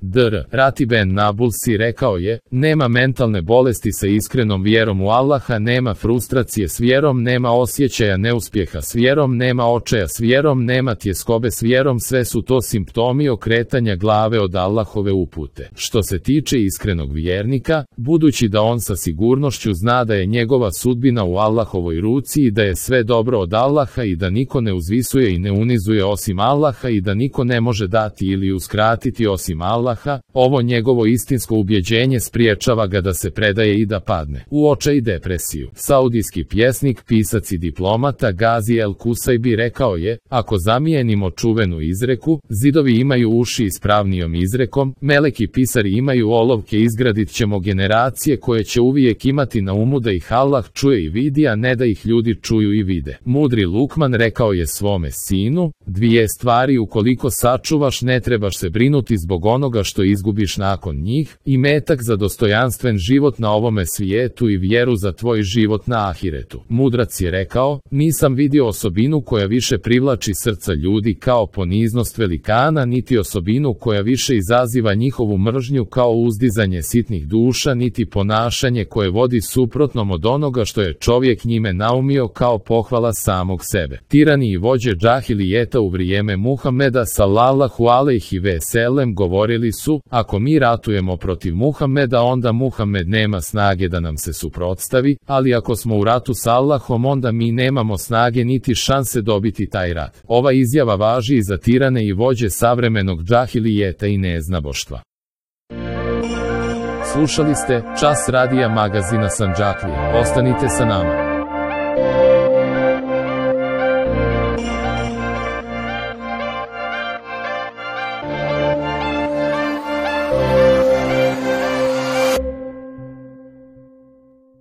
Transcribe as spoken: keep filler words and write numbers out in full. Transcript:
dr Ratiben Nabulsi rekao je, nema mentalne bolesti sa iskrenom vjerom u Allaha, nema frustracije s vjerom, nema osjećaja neuspjeha s vjerom, nema očaja s vjerom, nema tjeskobe s vjerom, sve su to simptomi okretanja glave od Allahove upute. Što se tiče iskrenog vjernika, budući da on sa sigurnošću zna da je njegova sudbina u Allahovoj ruci i da je sve dobro od Allaha i da niko ne uzvisuje i ne unizuje osim Allaha i da niko ne može dati ili uskratiti osim Allaha, ovo njegovo istinsko ubjeđenje spriječava ga da se predaje i da padne u očaj i depresiju. Saudijski pjesnik, pisac i diplomata Gazi El Kusajbi rekao je, ako zamijenimo čuvenu izreku, zidovi imaju uši ispravnijom izrekom, meleki pisari imaju olovke, izgradit ćemo generacije koje će uvijek imati na umu da ih Allah čuje i vidi, a ne da ih ljudi čuju i vide. Mudri Lukman rekao je svome sinu, dvije stvari ukoliko sačuvaš ne trebaš se brinuti zbog onoga što izgubiš nakon njih, i metak za dostojanstven život na ovome svijetu i vjeru za tvoj život na ahiretu. Mudrac je rekao, nisam vidio osobinu koja više privlači srca ljudi kao poniznost velikana, niti osobinu koja više izaziva njihovu mržnju kao uzdizanje sitnih duša, niti ponašanje koje vodi suprotnom od onoga što je čovjek njime naumio kao pohvala samog sebe. Tirani i vođe džahilijeta u vrijeme Muhameda sallallahu alejhi ve sellem govorili su, ako mi ratujemo protiv Muhameda onda Muhammed nema snage da nam se suprotstavi, ali ako smo u ratu s Allahom onda mi nemamo snage niti šanse dobiti taj rat. Ova izjava važi i za tirane i vođe savremenog džahilijeta i neznaboštva. Slušali ste Čas radija magazina Sandžaklija. Ostanite sa nama.